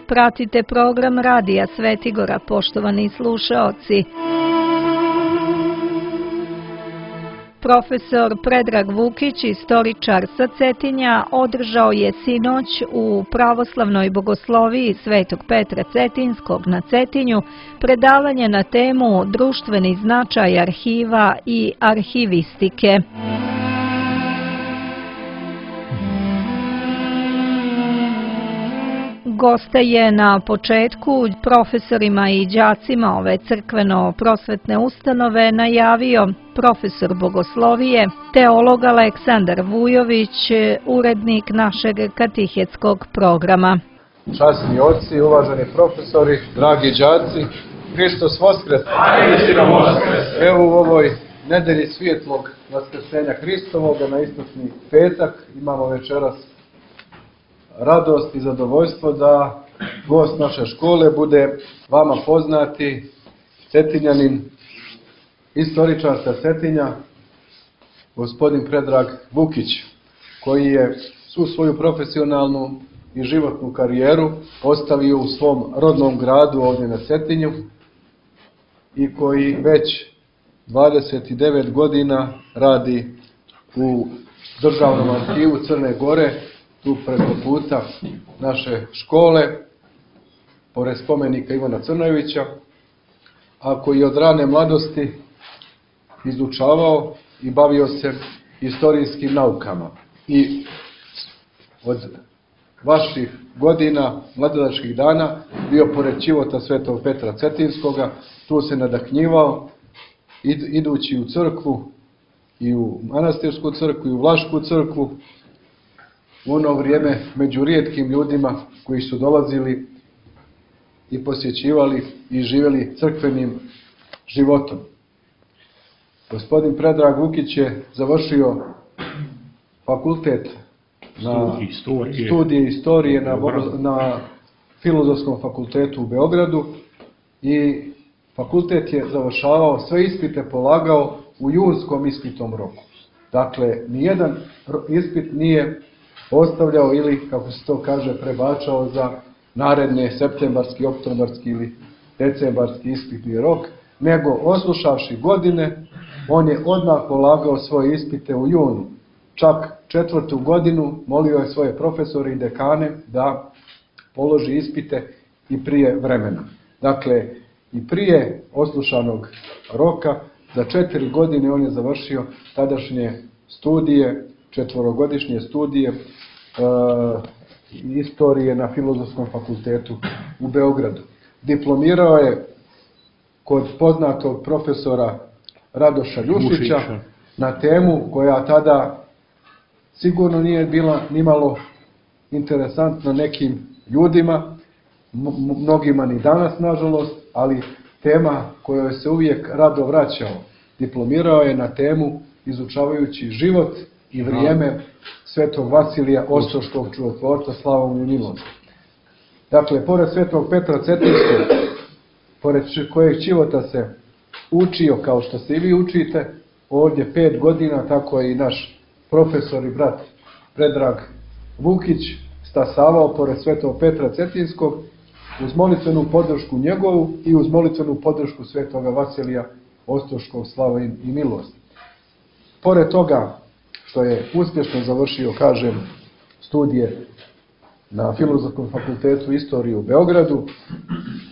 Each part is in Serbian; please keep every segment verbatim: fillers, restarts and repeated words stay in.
pratite program Radija Svetigora, poštovani slušaoci. Profesor Predrag Vukić, istoričar sa Cetinja, održao je sinoć u pravoslavnoj bogosloviji Svetog Petra Cetinskog na Cetinju predavanje na temu društveni značaj arhiva i arhivistike. Gosta je na početku profesorima i đacima ove crkveno-prosvetne ustanove najavio profesor bogoslovije, teolog Aleksandar Vujović, urednik našeg katehetskog programa. Časni oci, uvaženi profesori, dragi đaci, Hristos Voskres! Evo u ovoj nedelji svjetlog vaskrsenja Hristovoga na istočni petak imamo večeras radost i zadovoljstvo da gost naše škole bude vama poznati Cetinjanin, istoričar sa Cetinja, gospodin Predrag Vukić, koji je svu svoju profesionalnu i životnu karijeru ostavio u svom rodnom gradu ovdje na Cetinju i koji već dvadeset devet godina radi u Državnom arhivu Crne Gore, tu preko puta naše škole, pored spomenika Ivana Crnojevića, a koji je od rane mladosti izučavao i bavio se istorijskim naukama. I od vaših godina, mladodačkih dana, bio pored čivota Svetog Petra Cetinskoga, tu se nadahnjivao, idući u crkvu, i u manastirsku crkvu, i u Vlašku crkvu, u ono vrijeme među rijetkim ljudima koji su dolazili i posjećivali i živjeli crkvenim životom. Gospodin Predrag Vukić je završio fakultet na studije istorije na, na Filozofskom fakultetu u Beogradu i fakultet je završavao, sve ispite polagao u junskom ispitnom roku. Dakle, nijedan ispit nije ostavljao ili, kako se to kaže, prebačao za naredne septembarski, oktobarski ili decembarski ispitni rok, nego oslušavši godine, on je odmah polagao svoje ispite u junu. Čak četvrtu godinu molio je svoje profesore i dekane da položi ispite i prije vremena. Dakle, i prije oslušanog roka, za četiri godine on je završio tadašnje studije, četvorogodišnje studije e, istorije na Filozofskom fakultetu u Beogradu. Diplomirao je kod poznatog profesora Radoša Ljušića na temu koja tada sigurno nije bila nimalo interesantna nekim ljudima, mnogima ni danas nažalost, ali tema kojoj se uvijek rado vraćao. Diplomirao je na temu izučavajući život i vrijeme Svetog Vasilija Ostroškog čudotvorca, slava mu i milost. Dakle, pored Svetog Petra Cetinskog, pored kojeg života se učio, kao što se i vi učite, ovdje pet godina, tako je i naš profesor i brat Predrag Vukić stasavao pored Svetog Petra Cetinskog, uz molitvenu podršku njegovu i uz molitvenu podršku Svetoga Vasilija Ostroškog, slava i milost. Pored toga što je uspješno završio, kažem, studije na Filozofskom fakultetu istorije u Beogradu,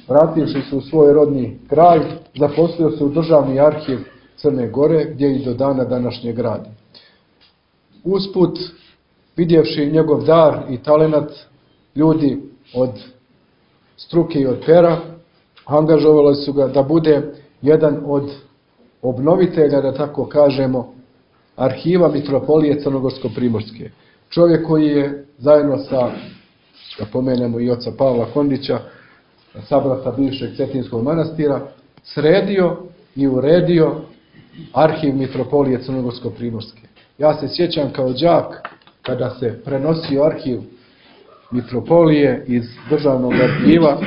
vrativši se u svoj rodni kraj, zaposlio se u Državni arhiv Crne Gore, gdje i do dana današnjeg radi. Usput, vidjevši njegov dar i talenat, ljudi od struke i od pera angažovali su ga da bude jedan od obnovitelja, da tako kažemo, arhiva Mitropolije Crnogorsko-primorske. Čovjek koji je zajedno sa, da pomenemo i oca Pavla Kondića, sabrata bivšeg Cetinskog manastira, sredio i uredio arhiv Mitropolije Crnogorsko-primorske. Ja se sjećam kao đak kada se prenosio arhiv Mitropolije iz Državnog arhiva,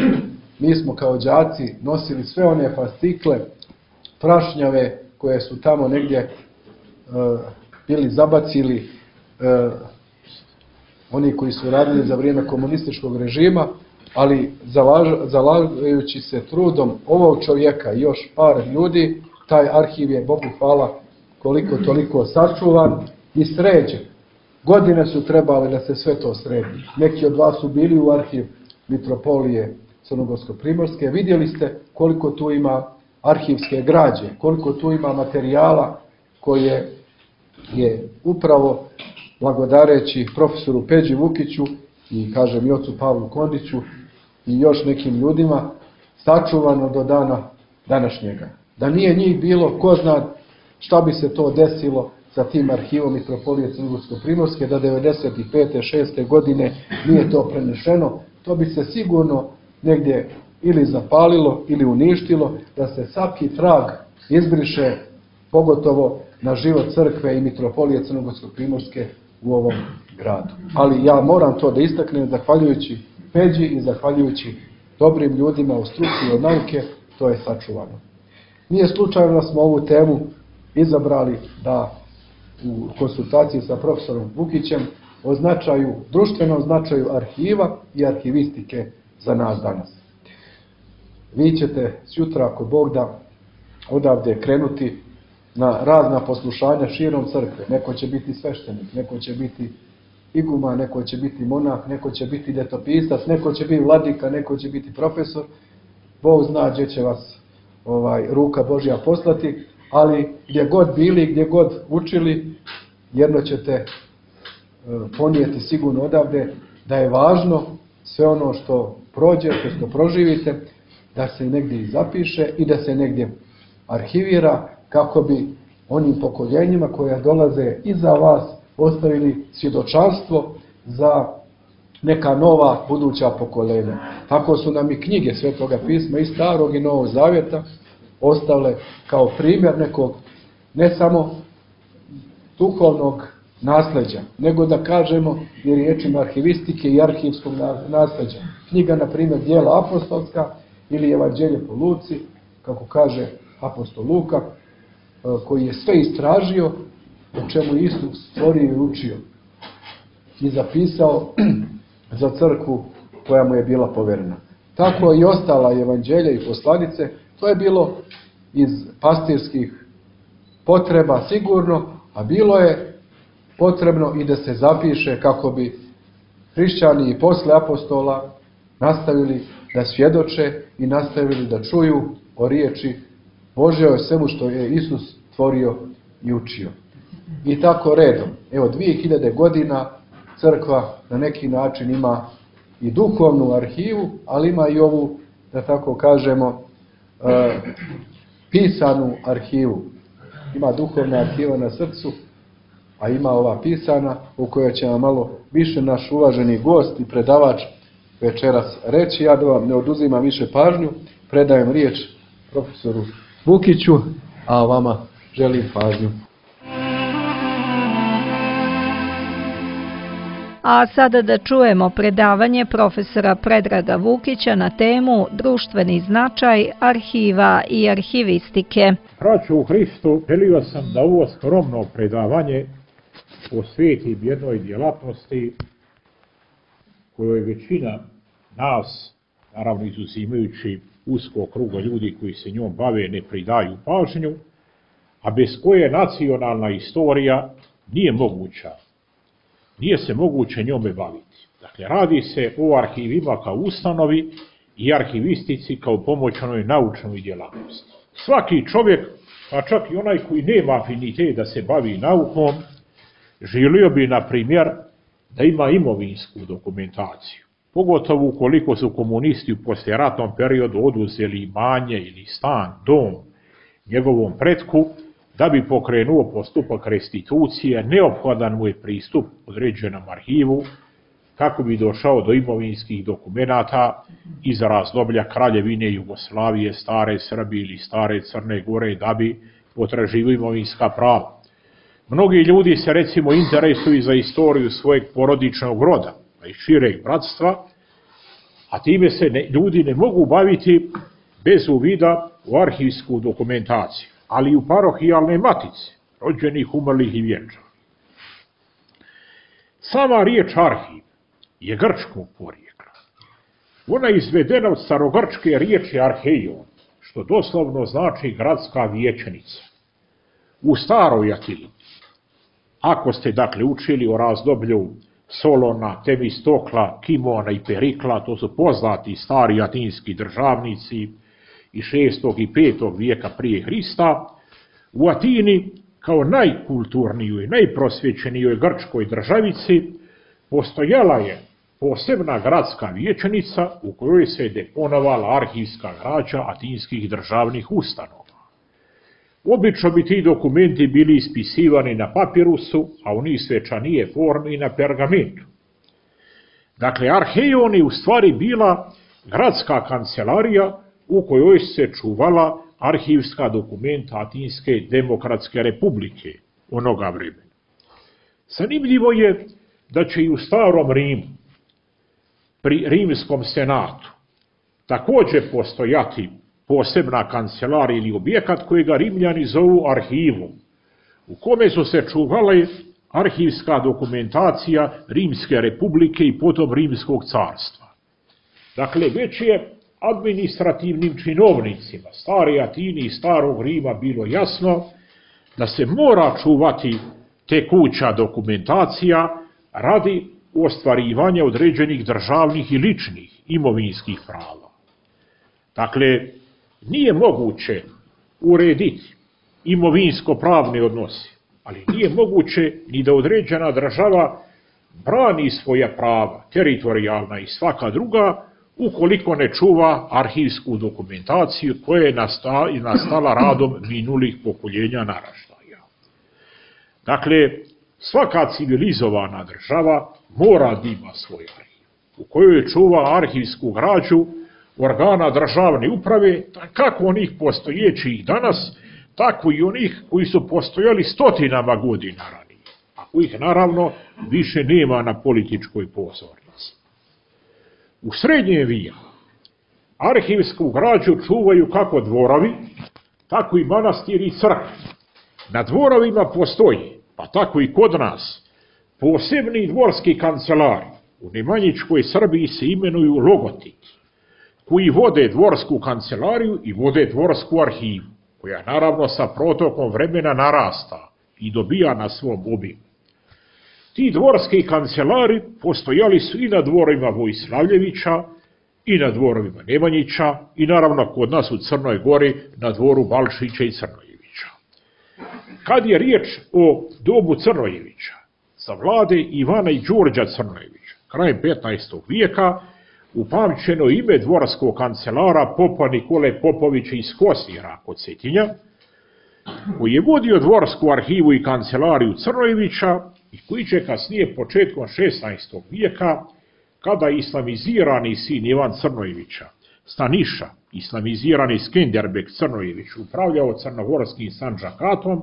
mi smo kao đaci nosili sve one fascikle, prašnjave koje su tamo negdje uh, bili zabacili uh, oni koji su radili za vrijeme komunističkog režima, ali zalagajući se trudom ovog čovjeka i još par ljudi, taj arhiv je, Bogu hvala, koliko toliko sačuvan i sređen. Godine su trebale da se sve to sredi. Neki od vas su bili u arhiv Mitropolije Crnogorsko-Primorske. Vidjeli ste koliko tu ima arhivske građe, koliko tu ima materijala koje je upravo blagodareći profesoru Peđi Vukiću i, kažem, i ocu Pavlu Kondiću i još nekim ljudima sačuvano do dana današnjega. Da nije njih bilo, ko zna šta bi se to desilo sa tim arhivom Mitropolije Crnogorsko-Primorske, da devedeset pete šeste godine nije to prenešeno, to bi se sigurno negdje ili zapalilo ili uništilo, da se svaki trag izbriše, pogotovo na život crkve i Mitropolije Crnogorsko-Primorske u ovom gradu. Ali ja moram to da istaknem, zahvaljujući Peđi i zahvaljujući dobrim ljudima u struci i od nauke, to je sačuvano. Nije slučajno da smo ovu temu izabrali da u konsultaciji sa profesorom Vukićem o značaju, društvenom značaju arhiva i arhivistike za nas danas. Vi ćete sutra, ako Bog da, odavde krenuti na razna poslušanja širom crkve. Neko će biti sveštenik, neko će biti iguma, neko će biti monah, neko će biti letopisac, neko će biti vladika, neko će biti profesor. Bog zna gdje će vas ovaj, ruka Božja poslati, ali gdje god bili, gdje god učili, jedno ćete e, ponijeti sigurno odavde da je važno sve ono što prođete, što proživite, da se negdje i zapiše i da se negdje arhivira, kako bi onim pokoljenjima koja dolaze iza vas ostavili svjedočanstvo za neka nova buduća pokoljenja. Tako su nam i knjige Svetoga pisma i Starog i Novog Zavjeta ostale kao primjer nekog ne samo duhovnog nasljeđa, nego da kažemo i riječima arhivistike i arhivskog nasljeđa. Knjiga, na primjer, Djela apostolska ili Evanđelje po Luci, kako kaže apostol Luka, koji je sve istražio o čemu Isus stvorio i učio i zapisao za crkvu koja mu je bila poverena. Tako i ostala evanđelja i poslanice, to je bilo iz pastirskih potreba sigurno, a bilo je potrebno i da se zapiše kako bi hrišćani i posle apostola nastavili da svjedoče i nastavili da čuju o riječi Božjoj, o svemu što je Isus stvorio i učio. I tako redom. Evo, dvije hiljade godina crkva na neki način ima i duhovnu arhivu, ali ima i ovu, da tako kažemo, e, pisanu arhivu. Ima duhovna arhiva na srcu, a ima ova pisana, u kojoj će nam malo više naš uvaženi gost i predavač večeras reći. Ja da vam ne oduzimam više pažnju, predajem riječ profesoru Vukiću, a vama želim pažnju. A sada da čujemo predavanje profesora Predraga Vukića na temu društveni značaj arhiva i arhivistike. Braćo u Hristu, želio sam da ovo skromno predavanje posvetim jednoj djelatnosti kojoj većina nas, naravno izuzimajući usko kruga ljudi koji se njom bave, ne pridaju pažnju, a bez koje nacionalna istorija nije moguća. Nije se moguće njome baviti. Dakle, radi se o arhivima kao ustanovi i arhivistici kao pomoćnoj naučnoj djelatnosti. Svaki čovjek, pa čak i onaj koji nema afinitet da se bavi naukom, želio bi, na primjer, da ima imovinsku dokumentaciju. Pogotovo ukoliko su komunisti u poslijeratnom periodu oduzeli imanje ili stan, dom njegovom pretku, da bi pokrenuo postupak restitucije, neophodan mu je pristup određenom arhivu, kako bi došao do imovinskih dokumenata iz razdoblja Kraljevine Jugoslavije, stare Srbije ili stare Crne Gore, da bi potraživao imovinska prava. Mnogi ljudi se recimo interesuju za istoriju svojeg porodičnog roda, pa i šireg bratstva, a time se ne, ljudi ne mogu baviti bez uvida u arhivsku dokumentaciju, ali i u parohijalne matice, rođenih, umrlih i vjenčanih. Sama riječ arhiv je grčkog porijekla. Ona je izvedena od starogrčke riječi arheion, što doslovno znači gradska vijećnica. U staroj Atini, ako ste dakle učili o razdoblju Solona, Temistokla, Kimona i Perikla, to su poznati stari atinski državnici iz šestog i petog vijeka prije Hrista, u Atini kao najkulturnijoj, najprosvjećenijoj grčkoj državici postojala je posebna gradska vijećnica u kojoj se deponovala arhivska građa atinskih državnih ustanova. Obično bi ti dokumenti bili ispisivani na papirusu, a u njih svečanije formi na pergamentu. Dakle, arheion je u stvari bila gradska kancelarija u kojoj se čuvala arhivska dokumenta Atinske demokratske republike onoga vremena. Zanimljivo je da će i u starom Rimu, pri rimskom senatu, također postojati posebna kancelarija ili objekat kojega Rimljani zovu arhivom, u kome su se čuvale arhivska dokumentacija Rimske republike i potom Rimskog carstva. Dakle, već je administrativnim činovnicima stare Atine i starog Rima bilo jasno da se mora čuvati tekuća dokumentacija radi ostvarivanja određenih državnih i ličnih imovinskih prava. Dakle, nije moguće urediti imovinsko-pravne odnose, ali nije moguće ni da određena država brani svoja prava, teritorijalna i svaka druga, ukoliko ne čuva arhivsku dokumentaciju koja je nastala radom minulih pokoljenja naraštaja. Dakle, svaka civilizovana država mora da ima svoj arhiv, u kojoj čuva arhivsku građu organa državne uprave, kako onih postojećih danas, tako i onih koji su postojali stotinama godina ranije, a kojih naravno više nema na političkoj pozornici. U srednjem vijeku arhivsku građu čuvaju kako dvorovi, tako i manastiri i crkve. Na dvorovima postoji, pa tako i kod nas, posebni dvorski kancelari. U Nemanjičkoj Srbiji se imenuju logotiki, koji vode dvorsku kancelariju i vode dvorsku arhivu, koja naravno sa protokom vremena narasta i dobija na svom obimu. Ti dvorski kancelari postojali su i na dvorovima Vojslavljevića, i na dvorovima Nemanjića, i naravno kod nas u Crnoj Gori na dvoru Balšića i Crnojevića. Kad je riječ o dobu Crnojevića, za vlade Ivana i Đurđa Crnojevića, krajem petnaestog vijeka, upamćeno ime dvorskog kancelara popa Nikole Popovića iz Kosira kod Cetinja, koji je vodio dvorsku arhivu i kancelariju Crnojevića i koji će kasnije početkom šesnaestog vijeka, kada je islamizirani sin Ivan Crnojevića, Staniša, islamizirani Skenderbeg Crnojević, upravljao crnogorskim Sandžakatom,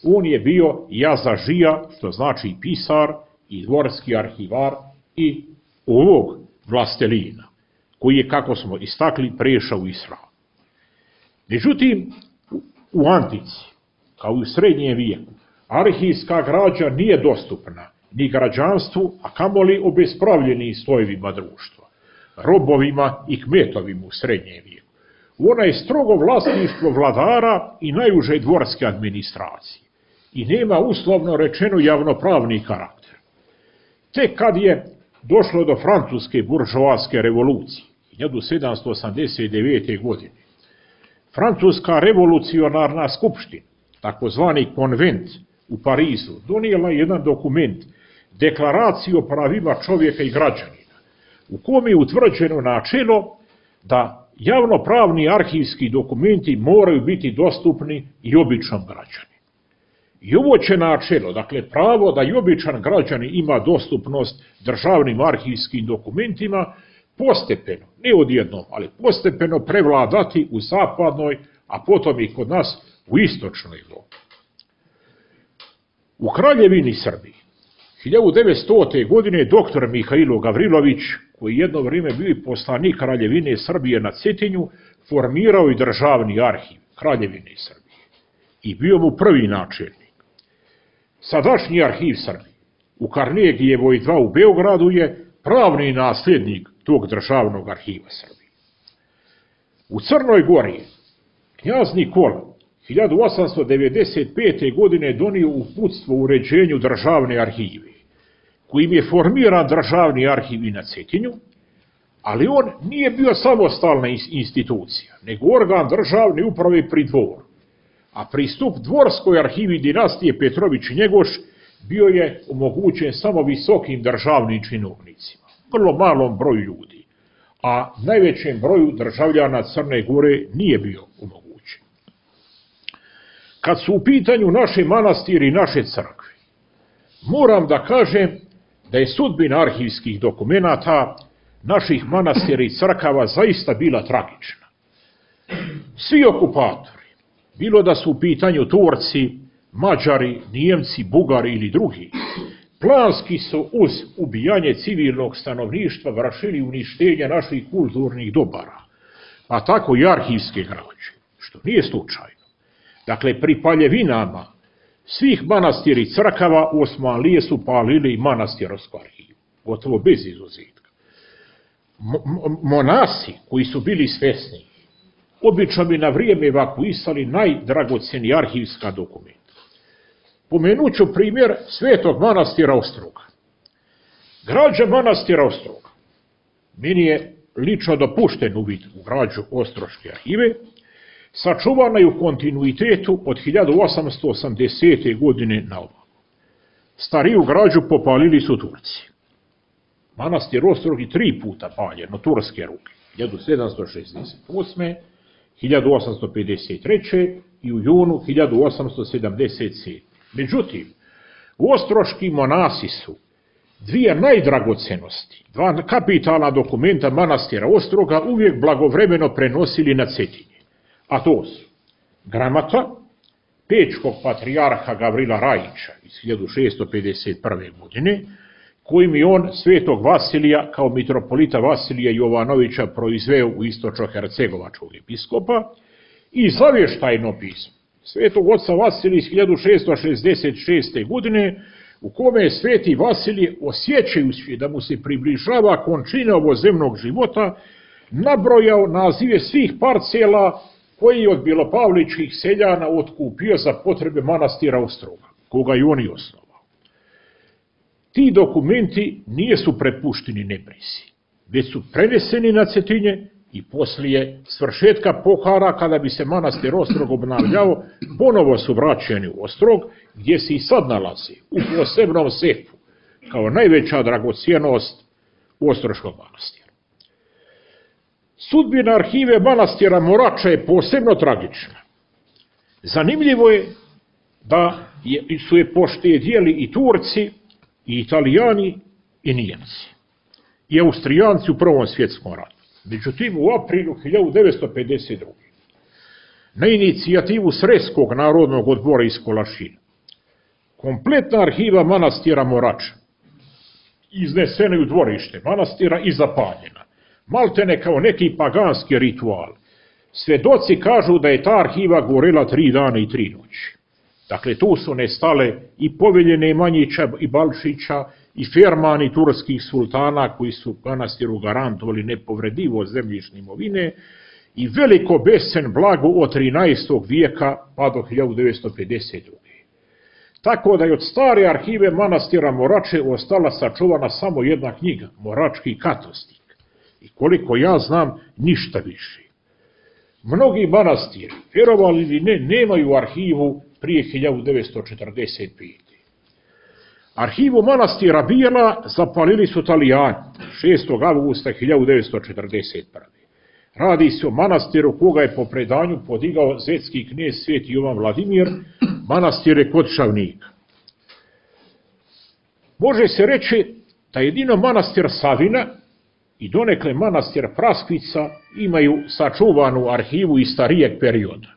on je bio jazažija, što znači pisar i dvorski arhivar i ovog vlastelina, koji je, kako smo istakli, prešao u islam. Međutim, u antici, kao i u srednjem vijeku, arhivska građa nije dostupna ni građanstvu, a kamoli obespravljenim slojevima društva, robovima i kmetovima u srednjem vijeku. Ona je strogo vlasništvo vladara i najuže dvorske administracije i nema uslovno rečeno javnopravni karakter. Tek kad je došlo do francuske buržoaske revolucije hiljadu sedamsto osamdeset devete. godine, Francuska revolucionarna skupština, takozvani konvent u Parizu, donijela jedan dokument, deklaraciju o pravima čovjeka i građanina, u kome je utvrđeno načelo da javnopravni arhivski dokumenti moraju biti dostupni i običnom građaninu. I ovo će načelo, dakle pravo da i običan građanin ima dostupnost državnim arhivskim dokumentima, postepeno, ne odjednom, ali postepeno prevladati u zapadnoj, a potom i kod nas u istočnoj Evropi. U Kraljevini Srbiji hiljadu devetstote. godine doktor Mihajlo Gavrilović, koji jedno vrijeme bio i poslanik Kraljevine Srbije na Cetinju, formirao i državni arhiv Kraljevine Srbije i bio mu prvi načelnik. Sadašnji arhiv Srbije u Karnegijevoj dva u Beogradu je pravni nasljednik tog državnog arhiva Srbije. U Crnoj Gori knjaz Nikola hiljadu osamsto devedeset pete. godine donio uputstvo u uređenju državne arhive, kojim je formiran državni arhiv i na Cetinju, ali on nije bio samostalna institucija, nego organ državne uprave pri dvoru, a pristup dvorskoj arhivi dinastije Petrović i Njegoš bio je omogućen samo visokim državnim činovnicima, vrlo malom broju ljudi, a najvećem broju državljana Crne Gore nije bio omogućen. Kad su u pitanju naše manastiri i naše crkve, moram da kažem da je sudbina arhivskih dokumenata naših manastira i crkava zaista bila tragična. Svi okupatori, bilo da su u pitanju Turci, Mađari, Nijemci, Bugari ili drugi, planski su uz ubijanje civilnog stanovništva vršili uništenje naših kulturnih dobara, pa tako i arhivske građe, što nije slučajno. Dakle, pri paljevinama svih manastira i crkava Osmanlije su palili i manastirsku arhivu, gotovo bez izuzetka. Monasi koji su bili svesni, obično bi na vrijeme evakuisali najdragoceniji arhivska dokumenta. Pomenut ću primjer Svetog manastira Ostroga. Građa manastira Ostroga, meni je lično dopušten uvid u građu Ostroške arhive, sačuvana je u kontinuitetu od hiljadu osamsto osamdesete. godine na ovamo. Stariju građu popalili su Turci. Manastir Ostrog je tri puta paljen od turske ruke, hiljadu sedamsto šezdeset osme. hiljadu osamsto pedeset treće. i u junu hiljadu osamsto sedamdeset sedme. Međutim, ostroški monasi su dvije najdragocenosti, dva kapitalna dokumenta manastira Ostroga uvijek blagovremeno prenosili na Cetinje. A to su gramata pečkog patrijarha Gavrila Rajića iz hiljadu šesto pedeset prve. godine, kojim je on Svetog Vasilija kao mitropolita Vasilija Jovanovića proizveo u istočno-hercegovačkog episkopa, i zavještajno pismo Svetog oca Vasilija iz hiljadu šesto šezdeset šeste. godine, u kome je Sveti Vasilije, osjećajući da mu se približava končina ovozemnog života, nabrojao nazive svih parcela koji je od Bilopavličkih seljana otkupio za potrebe manastira Ostroga, koga je on i osnovao. Ti dokumenti nisu prepušteni nebrizi, već su preneseni na Cetinje i poslije svršetka pohara, kada bi se manastir Ostrog obnavljao, ponovo su vraćeni u Ostrog, gdje se i sad nalazi u posebnom sefu, kao najveća dragocjenost Ostroškog manastira. Sudbina arhive manastira Morača je posebno tragična. Zanimljivo je da su je poštedjeli i Turci, i Italijani, i Nijemci, i Austrijanci u Prvom svjetskom ratu. Međutim, u aprilu hiljadu devetsto pedeset druge. na inicijativu Sreskog narodnog odbora iz Kolašina, kompletna arhiva manastira Morača iznesena u dvorište manastira i zapaljena, maltene kao neki paganski ritual. Svedoci kažu da je ta arhiva gorela tri dana i tri noći. Dakle, tu su nestale i Povelje Nemanjića i Balšića i Fermani turskih sultana koji su manastiru garantovali nepovredivo zemljišne imovine i veliko besen blago od trinaestog vijeka pa do hiljadu devetsto pedeset druge. Tako da je od stare arhive manastira Morače ostala sačuvana samo jedna knjiga, Morački katostik. I koliko ja znam, ništa više. Mnogi manastiri, vjerovali ili ne, nemaju arhivu prije hiljadu devetsto četrdeset pete. Arhivu manastira Bijela zapalili su Italijani šestog avgusta hiljadu devetsto četrdeset prve. Radi se o manastiru koga je po predanju podigao zetski knez Sveti Jovan Vladimir, manastire kod Šavnika. Može se reći da jedino manastir Savina i donekle manastir Praskvica imaju sačuvanu arhivu iz starijeg perioda.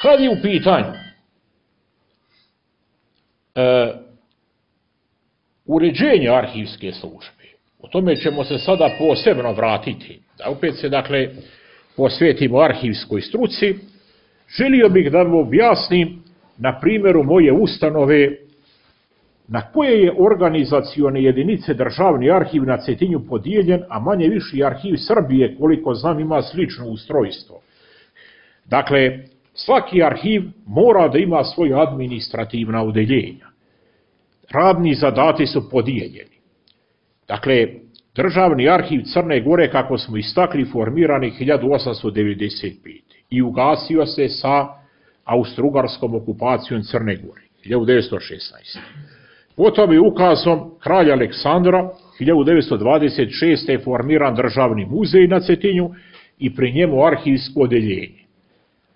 Kad je u pitanju e, uređenje arhivske službe, o tome ćemo se sada posebno vratiti, da opet se dakle posvetimo arhivskoj struci. Želio bih da vam objasnim na primjeru moje ustanove na koje je organizacione jedinice državni arhiv na Cetinju podijeljen, a manje viši arhiv Srbije, koliko znam, ima slično ustrojstvo. Dakle, svaki arhiv mora da ima svoje administrativna odeljenja. Radni zadati su podijeljeni. Dakle, Državni arhiv Crne Gore, kako smo istakli, formiran je hiljadu osamsto devedeset pete. i ugasio se sa austrougarskom okupacijom Crne Gore, hiljadu devetsto šesnaeste. Potom je ukazom kralja Aleksandra hiljadu devetsto dvadeset šeste. formiran državni muzej na Cetinju i pri njemu arhivsko odeljenje.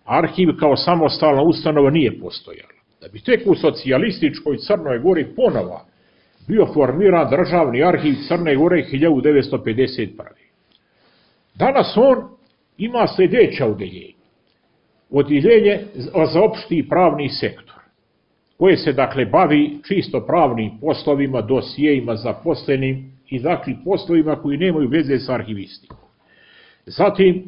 Arhiv kao samostalna ustanova nije postojala. Da bi tek u socijalističkoj Crnoj Gori ponova bio formiran državni arhiv Crne Gore hiljadu devetsto pedeset prve. Danas on ima sljedeća odeljenja. Odeljenje za opšti i pravni sektor, koje se dakle bavi čisto pravnim poslovima, dosijejima zaposlenim i dakle poslovima koji nemaju veze sa arhivistikom. Zatim,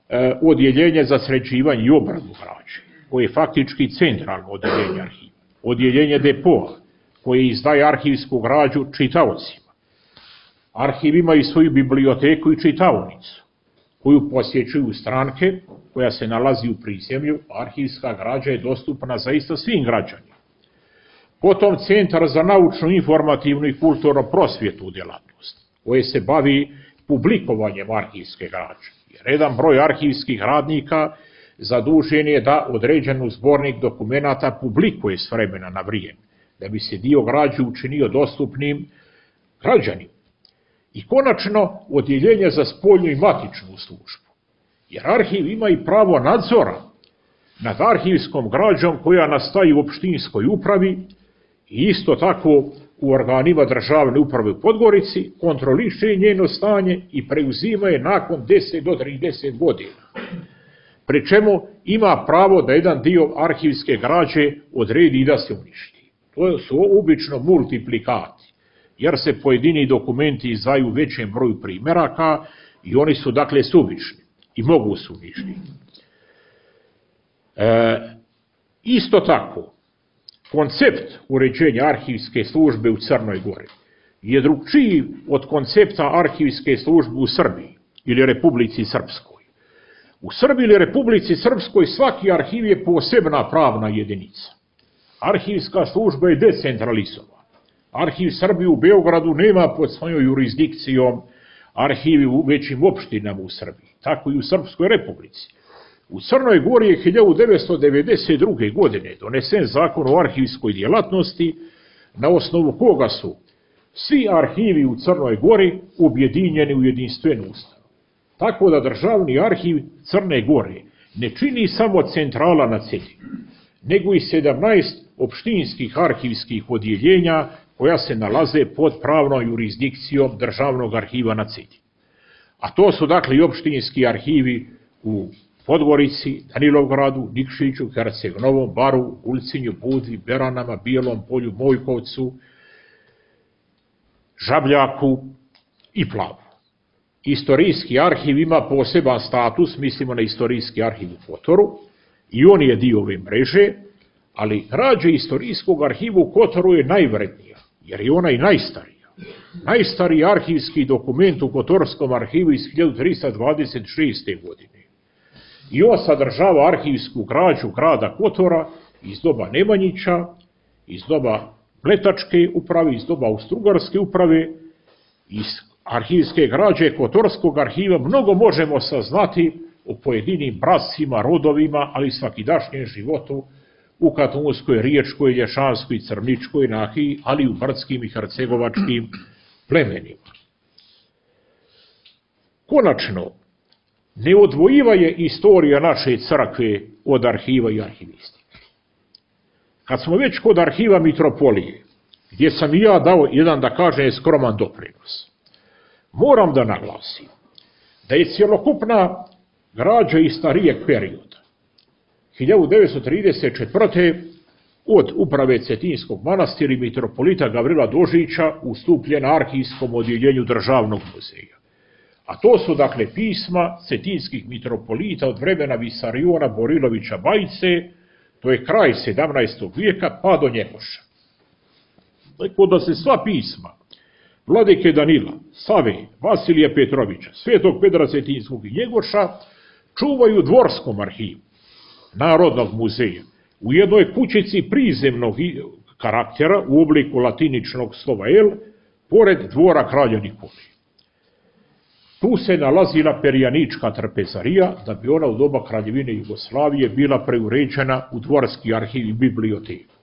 e, odeljenje za sređivanje i obradu građe, koje je faktički centralno odeljenje arhiva. Odeljenje depoa, koje izdaje arhivsku građu čitaocima. Arhiv ima i svoju biblioteku i čitaonicu, koju posjećuju stranke, koja se nalazi u prizemlju. Arhivska građa je dostupna zaista svim građanima. Potom Centar za naučnu, informativnu i kulturno-prosvjetnu djelatnost, koje se bavi publikovanjem arhivske građe. Jer jedan broj arhivskih radnika zadužen je da određenu zbornik dokumenata publikuje s vremena na vrijeme, da bi se dio građe učinio dostupnim građanima. I konačno, odjeljenje za spoljnu i matičnu službu. Jer arhiv ima i pravo nadzora nad arhivskom građom koja nastaje u opštinskoj upravi i isto tako u organima državne uprave u Podgorici, kontroliše njeno stanje i preuzima je nakon deset do trideset godina. Pri čemu ima pravo da jedan dio arhivske građe odredi i da se uništi. To su obično multiplikati, jer se pojedini dokumenti izdaju u većem broju primjeraka i oni su dakle suvišni i mogu se uništiti. E, isto tako, koncept uređenja arhivske službe u Crnoj Gori je drugčiji od koncepta arhivske službe u Srbiji ili Republici Srpskoj. U Srbiji ili Republici Srpskoj svaki arhiv je posebna pravna jedinica. Arhivska služba je decentralizovana. Arhiv Srbije u Beogradu nema pod svojom jurisdikcijom arhivi u većim opštinama u Srbiji, tako i u Srpskoj Republici. U Crnoj Gori je hiljadu devetsto devedeset druge. godine donesen zakon o arhivskoj djelatnosti, na osnovu koga su svi arhivi u Crnoj Gori objedinjeni u jedinstvenu ustanovu. Tako da državni arhiv Crne Gore ne čini samo centrala na Cetinju, nego i sedamnaest opštinskih arhivskih odjeljenja koja se nalaze pod pravnom jurisdikcijom državnog arhiva na Cetinju. A to su dakle i opštinski arhivi u Podgorici, Danilovgradu, Nikšiću, Herceg-Novom, Baru, Ulcinju, Budvi, Beranama, Bijelom Polju, Mojkovcu, Žabljaku i Plavu. Istorijski arhiv ima poseban status, mislimo na istorijski arhiv u Kotoru, i on je dio ove mreže, ali građa istorijskog arhiva u Kotoru je najvrednija, jer je ona i najstarija. Najstariji arhivski dokument u Kotorskom arhivu iz hiljadu trista dvadeset šeste. godine. I on sadržava arhivsku građu grada Kotora iz doba Nemanjića, iz doba Bletačke uprave, iz doba Austrougarske uprave. Iz arhivske građe Kotorskog arhiva mnogo možemo saznati o pojedinim bracima, rodovima, ali i svakidašnjem životu u Katunskoj, Riječkoj, Lješanskoj, Crničkoj nahiji, ali i u brdskim i hercegovačkim plemenima. Konačno, neodvojiva je istorija naše crkve od arhiva i arhivistike. Kad smo već kod arhiva Mitropolije, gdje sam i ja dao jedan, da kažem, skroman doprinos, moram da naglasim da je cjelokupna građa iz starijeg perioda, hiljadu devetsto trideset četvrte. od uprave Cetinskog manastira i mitropolita Gavrila Dožića ustupljena arhivskom odjeljenju državnog muzeja. A to su dakle pisma cetinskih mitropolita od vremena Visariona Borilovića Bajice, to je kraj sedamnaestog vijeka pa do Njegoša. Tako da se sva pisma Vladike Danila, Save, Vasilija Petrovića, Svetog Petra Cetinskog i Njegoša čuvaju u dvorskom arhivu Narodnog muzeja u jednoj kućici prizemnog karaktera u obliku latiničnog slova L, pored dvora kralja Nikolije. Tu se nalazila perjanička trpezarija, da bi ona u doba Kraljevine Jugoslavije bila preuređena u dvorski arhiv i biblioteku.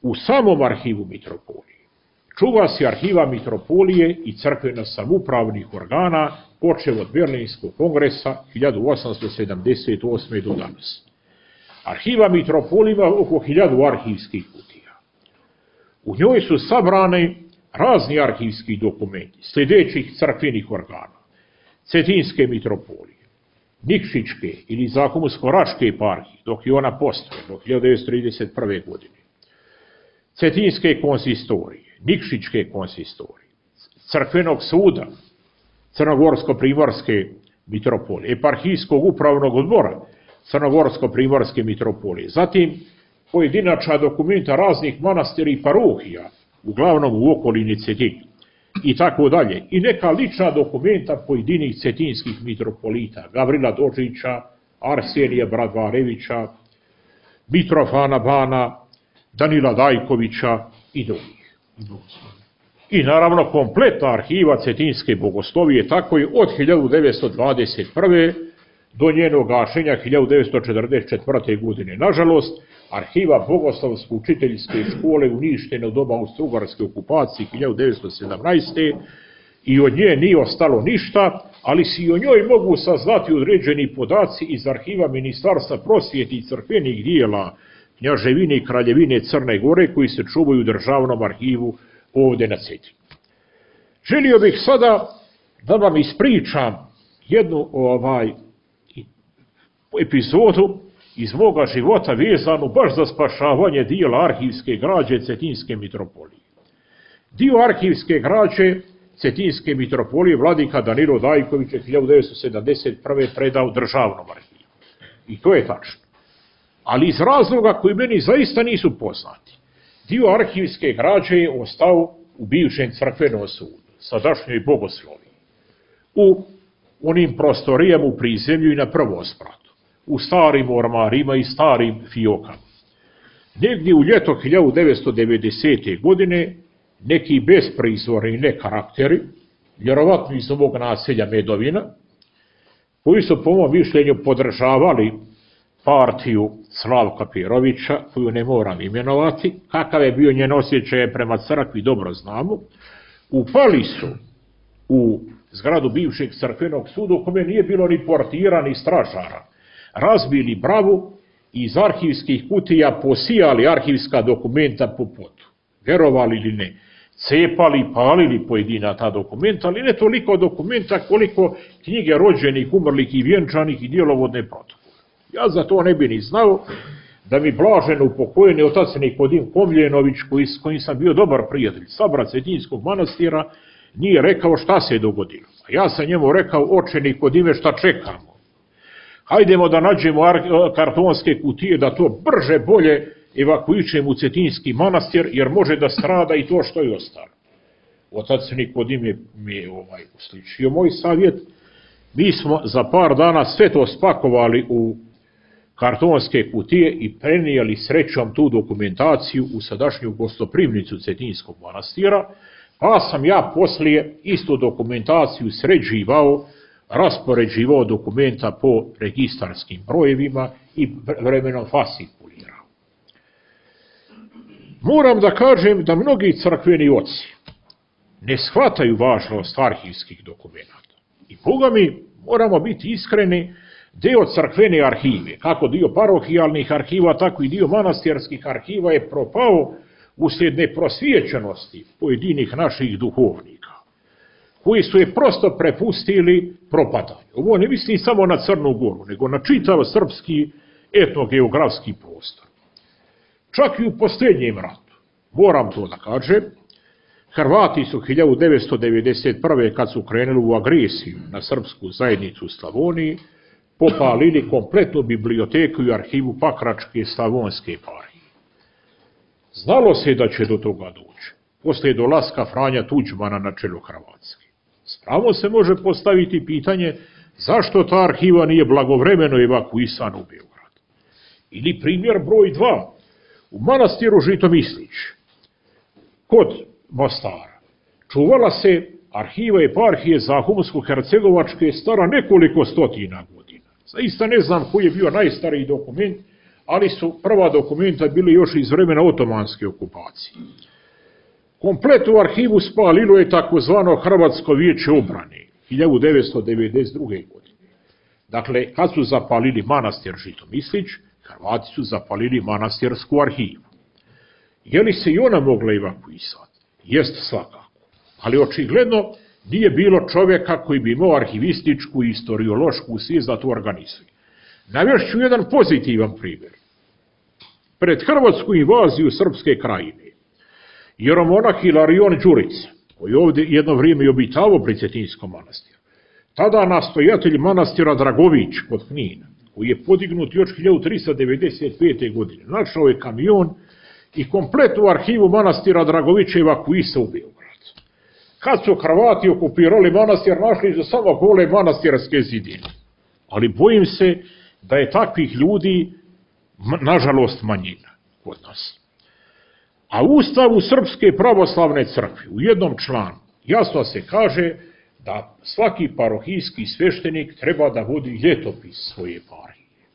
U samom arhivu mitropolije čuva se arhiva mitropolije i crkveno samoupravnih organa, počev od Berlinskog kongresa hiljadu osamsto sedamdeset osme. do danas. Arhiva mitropolije ima oko hiljadu arhivskih kutija. U njoj su sabrane razni arhivski dokumenti sljedećih crkvenih organa: Cetinske mitropolije, Nikšićke ili Zakomusko-Raške eparhije, dok je ona postoje do hiljadu devetsto trideset prve. godine, Cetinske konsistorije, Nikšićke konsistorije, Crkvenog suda, Crnogorsko-Primorske mitropolije, Eparhijskog upravnog odbora Crnogorsko-Primorske mitropolije, zatim pojedinačna dokumenta raznih manastira i parohija, uglavnom u okolini Cetinja, i tako dalje, i neka lična dokumenta pojedinih cetinskih mitropolita, Gavrila Dožića, Arsenija Bradvarevića, Mitrofana Bana, Danila Dajkovića i drugih. I naravno kompletna arhiva Cetinske bogoslovije, tako je od hiljadu devetsto dvadeset prve. do njenog gašenja hiljadu devetsto četrdeset četvrte. godine. Nažalost, arhiva Bogoslovsko-učiteljske škole uništena u doba austrougarske okupacije hiljadu devetsto sedamnaeste. i od nje nije ostalo ništa, ali se i o njoj mogu saznati određeni podaci iz arhiva Ministarstva prosvjete i crkvenih dijela Knjaževine i Kraljevine Crne Gore, koji se čuvaju u državnom arhivu ovdje na Cetinju. Želio bih sada da vam ispričam jednu ovaj epizodu iz moga života vezanu baš za spašavanje dijela arhivske građe Cetinske mitropolije. Dio arhivske građe Cetinske mitropolije vladika Danilo Dajković je hiljadu devetsto sedamdeset prve. predao državnom arhivu. I to je tačno. Ali iz razloga koji meni zaista nisu poznati, dio arhivske građe je ostao u bivšem crkvenom sudu, sadašnjoj Bogosloviji, u onim prostorijama u prizemlju i na prvospratu, u starim ormarima i starim fiokama. Negdje u ljeto hiljadu devetsto devedesete. godine neki besprizorni nekarakteri, vjerovatno iz ovog naselja Medovina, koji su po mom mišljenju podržavali partiju Slavka Perovića, koju ne moram imenovati, kakav je bio njen osjećaj prema crkvi dobro znamo, upali su u zgradu bivšeg crkvenog suda u kome nije bilo ni portira ni stražara, razbili bravu i iz arhivskih kutija posijali arhivska dokumenta po potu. Verovali ili ne, cepali, palili pojedina ta dokumenta, ali ne toliko dokumenta koliko knjige rođenih, umrlih i vjenčanih i djelovodne protokole. Ja za to ne bi ni znao da mi blaženo upokojeni otac Nikodim Komljenović, koji, s kojim sam bio dobar prijatelj, sabrat Cetinskog manastira, nije rekao šta se je dogodilo. A ja sam njemu rekao: oče Nikodime, šta čekamo? Hajdemo da nađemo kartonske kutije, da to brže bolje evakuišemo u Cetinski manastir, jer može da strada i to što je ostalo. Otac Nikodim je mi ovaj, usličio moj savjet. Mi smo za par dana sve to spakovali u kartonske kutije i prenijeli srećom tu dokumentaciju u sadašnju gostoprimnicu Cetinskog manastira, pa sam ja poslije istu dokumentaciju sređivao, raspoređivao dokumenta po registarskim brojevima i vremenom fascikulirao. Moram da kažem da mnogi crkveni oci ne shvataju važnost arhivskih dokumenta. I Boga mi, moramo biti iskreni, deo crkvene arhive, kako dio parohijalnih arhiva, tako i dio manastirskih arhiva je propao uslijed neprosvijećenosti pojedinih naših duhovnika, koji su je prosto prepustili propadanju. Ovo ne mislim samo na Crnu Goru, nego na čitav srpski etnogeografski prostor. Čak i u posljednjem ratu, moram to da kažem, Hrvati su hiljadu devetsto devedeset prve. kad su krenuli u agresiju na srpsku zajednicu u Slavoniji, popalili kompletnu biblioteku i arhivu Pakračke Slavonske eparhije. Znalo se da će do toga doći, poslije dolaska Franja Tuđmana na čelo Hrvatske. Spravo se može postaviti pitanje zašto ta arhiva nije blagovremeno evakuisana u Beograd. Ili primjer broj dva, u manastiru Žitomislić, kod Mostara, čuvala se arhiva eparhije Zahumsko-hercegovačke stara nekoliko stotina godina. Zaista ne znam koji je bio najstariji dokument, ali su prva dokumenta bili još iz vremena otomanske okupacije. Komplet u arhivu spalilo je takozvano Hrvatsko vijeće obrane hiljadu devetsto devedeset druge. godine. Dakle, kad su zapalili manastir Žitomislić, Hrvati su zapalili manastirsku arhivu. Je li se i ona mogla evakuisati? Jest svakako. Ali očigledno nije bilo čovjeka koji bi imao arhivističku i istoriološku svijest da to organizuje. Navešću jedan pozitivan primjer. Pred hrvatsku invaziju Srpske krajine, jeromonah Hilarion Đurić, koji je ovdje jedno vrijeme i obitavao pri Cetinskom manastiru, tada nastojatelj manastira Dragović kod Knina, koji je podignut još hiljadu tristo devedeset pete. godine, našao je kamion i kompletnu arhivu manastira Dragovića evakuisao u Beograd. Kad su Hrvati okupirali manastir, našli su samo gole manastirske zidine. Ali bojim se da je takvih ljudi, nažalost, manjina kod nas. A u Ustavu Srpske pravoslavne crkve u jednom članu jasno se kaže da svaki parohijski sveštenik treba da vodi ljetopis svoje eparhije.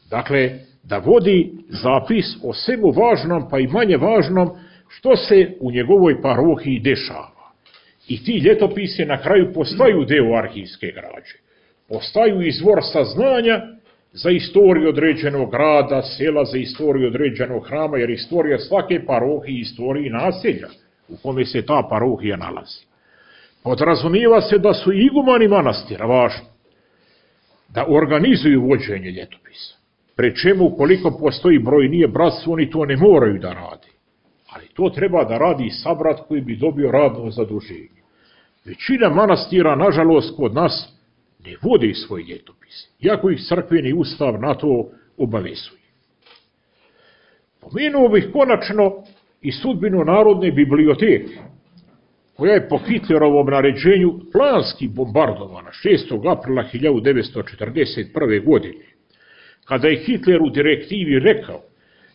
Dakle, da vodi zapis o svemu važnom pa i manje važnom što se u njegovoj parohiji dešava. I ti ljetopisi na kraju postaju deo arhivske građe. Postaju izvor saznanja za istoriju određenog grada, sela, za istoriju određenog hrama, jer istorija svake parohije, istorije naselja u kome se ta parohija nalazi. Podrazumijeva se da su igumani manastira važni, da organizuju vođenje ljetopisa. Pri čemu, ukoliko postoji brojnije bratstvo, oni to ne moraju da rade. Ali to treba da radi sabrat koji bi dobio radno zaduženje. Većina manastira, nažalost, kod nas ne vodi svoj ljetopis, iako ih crkveni ustav na to obavezuje. Pomenuo bih konačno i sudbinu Narodne biblioteke, koja je po Hitlerovom naređenju planski bombardovana šestog aprila hiljadu devetsto četrdeset prve. godine, kada je Hitler u direktivi rekao: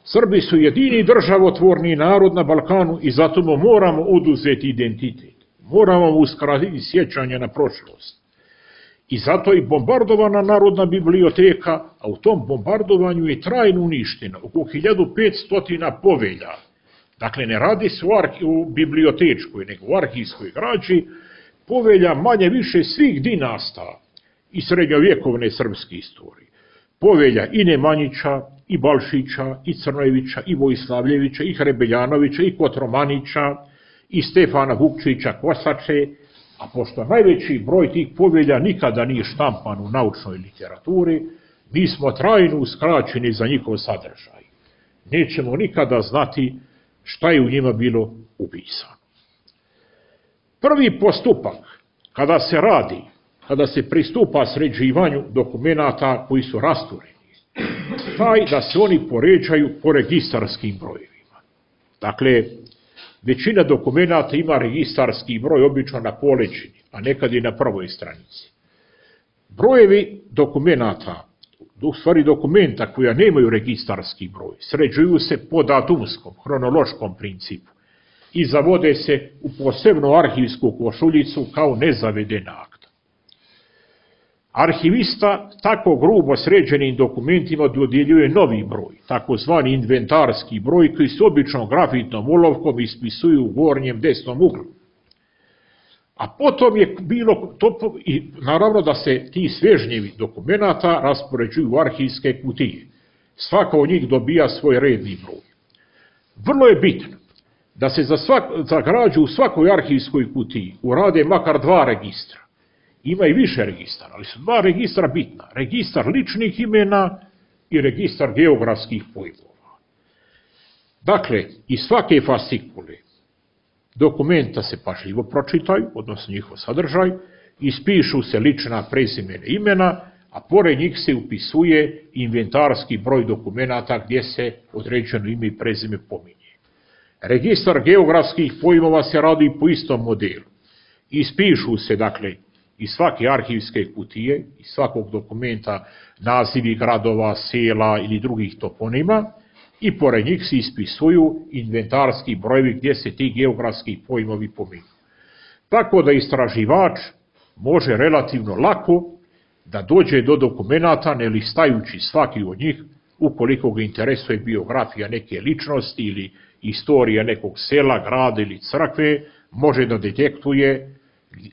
Srbi su jedini državotvorni narod na Balkanu i zato mu moramo oduzeti identitet, moramo mu uskratiti sjećanje na prošlost. I zato je bombardovana Narodna biblioteka, a u tom bombardovanju je trajno uništeno oko hiljadu petsto povelja. Dakle, ne radi se u bibliotečkoj, nego u arhivskoj građi, povelja manje više svih dinasta i srednjovjekovne srpske istorije. Povelja i Nemanjića, i Balšića, i Crnojevića, i Vojslavljevića, i Hrebeljanovića, i Kotromanića, i Stefana Vukčića Kosače, a pošto najveći broj tih povelja nikada nije štampan u naučnoj literaturi, mi smo trajno uskraćeni za njihov sadržaj. Nećemo nikada znati šta je u njima bilo upisano. Prvi postupak, kada se radi, kada se pristupa sređivanju dokumenata koji su rastureni, taj da se oni poređaju po registarskim brojevima. Dakle, većina dokumenata ima registarski broj obično na poleđini, a nekad i na prvoj stranici. Brojevi dokumenata, u stvari dokumenta koja nemaju registarski broj, sređuju se po datumskom, hronološkom principu i zavode se u posebnu arhivsku košuljicu kao nezavedena akta. Arhivista tako grubo sređenim dokumentima dodjeljuje novi broj, takozvani inventarski broj, koji se obično grafitnom olovkom ispisuju u gornjem desnom uglu. A potom je bilo, to, i naravno da se ti svežnjevi dokumenata raspoređuju u arhivske kutije. Svaka od njih dobija svoj redni broj. Vrlo je bitno da se za, svak, za građu u svakoj arhivskoj kutiji urade makar dva registra. Ima i više registara, ali su dva registra bitna. Registar ličnih imena i registar geografskih pojmova. Dakle, iz svake fascikule dokumenta se pažljivo pročitaju, odnosno njihov sadržaj, ispišu se lična prezimena imena, a pored njih se upisuje inventarski broj dokumenata gdje se određeno ime i prezime pominje. Registar geografskih pojmova se radi po istom modelu. Ispišu se, dakle, iz svake arhivske kutije, iz svakog dokumenta nazivi gradova, sela ili drugih toponima i pored njih se ispisuju inventarski brojevi gdje se ti geografski pojmovi pominju. Tako da istraživač može relativno lako da dođe do dokumenata ne listajući svaki od njih, ukoliko ga interesuje biografija neke ličnosti ili istorija nekog sela, grada ili crkve, može da detektuje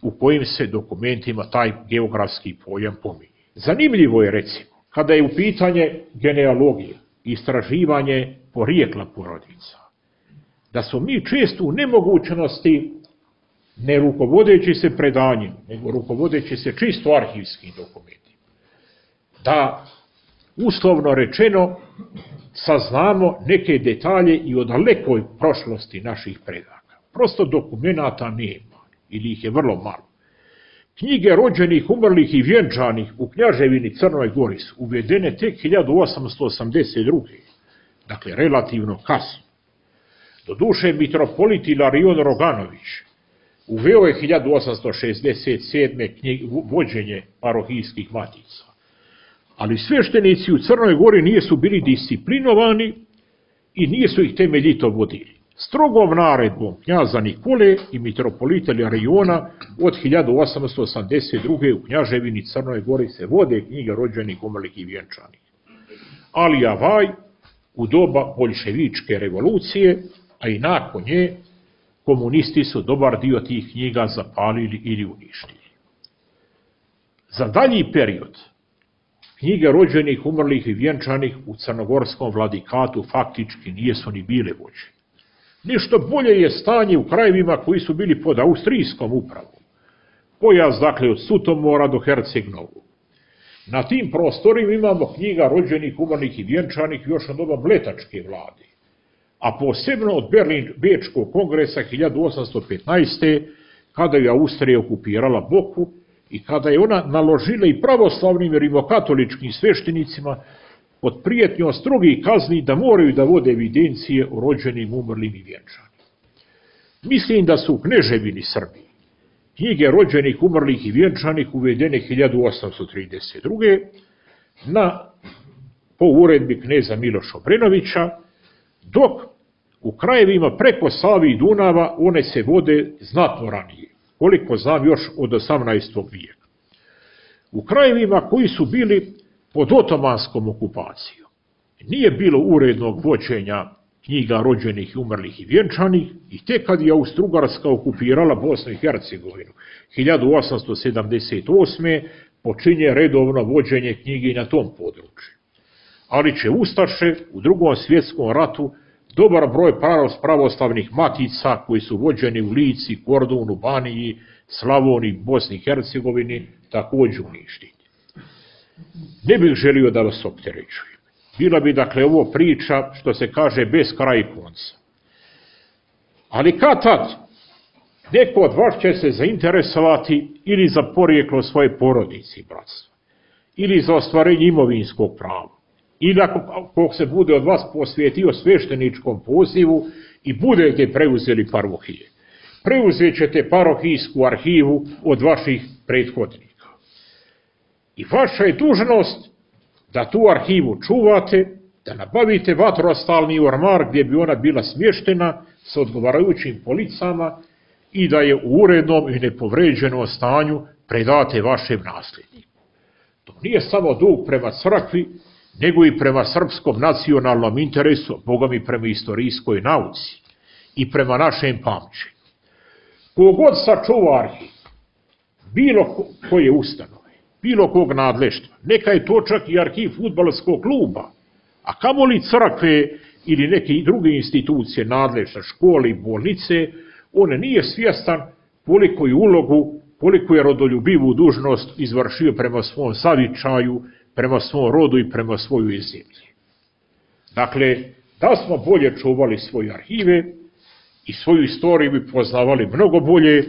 u kojim se dokumentima taj geografski pojam pominje. Zanimljivo je, recimo, kada je u pitanje genealogija, istraživanje porijekla porodica, da smo mi često u nemogućnosti, ne rukovodeći se predanjem, nego rukovodeći se čisto arhivskim dokumentima, da, uslovno rečeno, saznamo neke detalje i o dalekoj prošlosti naših predaka. Prosto dokumenata nema, ili ih je vrlo malo. Knjige rođenih, umrlih i vjenčanih u Knjaževini Crnoj Gori su uvedene tek hiljadu osamsto osamdeset druge. Dakle, relativno kasno. Doduše, mitropolit Ilarion Roganović uveo je hiljadu osamsto šezdeset sedme knjige, vođenje parohijskih matica. Ali sveštenici u Crnoj Gori nisu bili disciplinovani i nisu ih temeljito vodili. Strogom naredbom knjaza Nikole i mitropolita Ilariona od hiljadu osamsto osamdeset druge u Knjaževini Crnoj Gori se vode knjige rođenih, umrlih i vjenčanih. Ali avaj, u doba boljševičke revolucije, a i nakon nje, komunisti su dobar dio tih knjiga zapalili ili uništili. Za dalji period, knjige rođenih, umrlih i vjenčanih u crnogorskom vladikatu faktički nijesu ni bile vođene. Nešto bolje je stanje u krajevima koji su bili pod austrijskom upravom. Pojas, dakle, od Sutomora do Herceg-Novog. Na tim prostorima imamo knjiga rođenih, umrlih i vjenčanih još od doba Mletačke vlade, a posebno od Berlin-Bečkog kongresa hiljadu osamsto petnaeste. kada je Austrija okupirala Boku i kada je ona naložila i pravoslavnim i rimokatoličkim sveštenicima pod prijetnjom strogih kazni da moraju da vode evidencije o rođenim, umrlim i vjenčanim. Mislim da su u Kneževini Srbiji knjige rođenih, umrlih i vjenčanih uvedene hiljadu osamsto trideset druge. na po uredbi kneza Miloša Obrenovića, dok u krajevima preko Save i Dunava one se vode znatno ranije, koliko znam još od osamnaestog vijeka. U krajevima koji su bili pod otomanskom okupacijom nije bilo urednog vođenja knjiga rođenih, umrlih i vjenčanih i tek kad je Austro-Ugarska okupirala Bosnu i Hercegovinu hiljadu osamsto sedamdeset osme. počinje redovno vođenje knjige na tom području. Ali će ustaše u Drugom svjetskom ratu dobar broj pravoslavnih matica koji su vođeni u Lici, Kordunu, Baniji, Slavoniji, Bosni i Hercegovini također uništiti. Ne bih želio da vas opterećujem. Bila bi, dakle, ovo priča, što se kaže, bez kraja i konca. Ali kad tad neko od vas će se zainteresovati ili za porijeklo svoje porodice i bratstva, ili za ostvarenje imovinskog prava, ili ako se bude od vas posvetio svešteničkom pozivu i budete preuzeli parohije. Preuzet ćete parohijsku arhivu od vaših prethodnika. I vaša je dužnost da tu arhivu čuvate, da nabavite vatrostalni ormar gdje bi ona bila smještena sa odgovarajućim policama i da je u urednom i nepovređenom stanju predate vašem nasljedniku. To nije samo dug prema crkvi, nego i prema srpskom nacionalnom interesu, bogom i prema istorijskoj nauci i prema našem pamćenju. Kogod sačuva arhiv, bilo koje ustanove, bilo kog nadleštva, neka je to čak i arhiv fudbalskog kluba, a kamoli crkve ili neke druge institucije nadležne, škole i bolnice, on nije svjestan koliko je ulogu, koliko je rodoljubivu dužnost izvršio prema svom zavičaju, prema svom rodu i prema svojoj zemlji. Dakle, da smo bolje čuvali svoje arhive i svoju istoriju bi poznavali mnogo bolje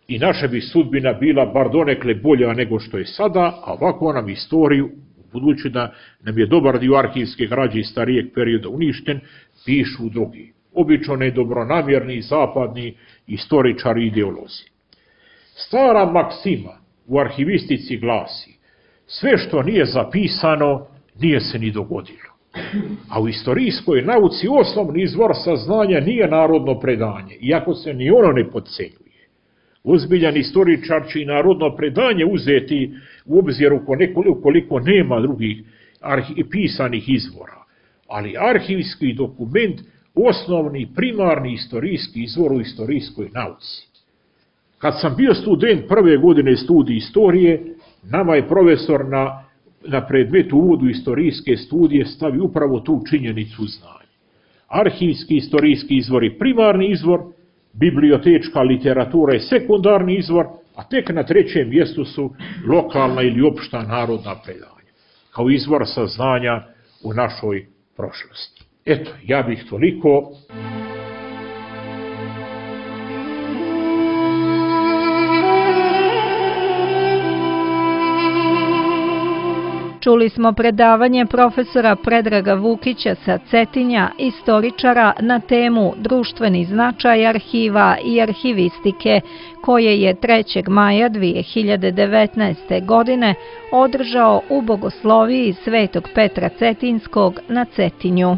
i naša bi sudbina bila bar donekle bolja nego što je sada, a ovako nam istoriju, budući da nam je dobar dio arhivske građe iz starijeg perioda uništen, pišu drugi. obično nedobronamjerni zapadni istoričari i ideolozi. Stara maksima u arhivistici glasi: sve što nije zapisano, nije se ni dogodilo. A u istorijskoj nauci osnovni izvor saznanja nije narodno predanje, iako se ni ono ne podcenjuje. Ozbiljan istoričar će i narodno predanje uzeti u obzir ukoliko nema drugih pisanih izvora, ali arhivski dokument osnovni, primarni istorijski izvor u istorijskoj nauci. Kad sam bio student prve godine studija istorije, nama je profesor na, na predmetu uvodu istorijske studije stavio upravo tu činjenicu znanja. Arhivski istorijski izvor je primarni izvor, bibliotečka literatura je sekundarni izvor, a tek na trećem mjestu su lokalna ili opšta narodna predanja, kao izvor saznanja u našoj prošlosti. Eto, ja bih toliko. Čuli smo predavanje profesora Predraga Vukića sa Cetinja, istoričara, na temu društveni značaj arhiva i arhivistike, koje je trećeg maja dvije hiljade devetnaeste. godine održao u Bogosloviji Svetog Petra Cetinskog na Cetinju.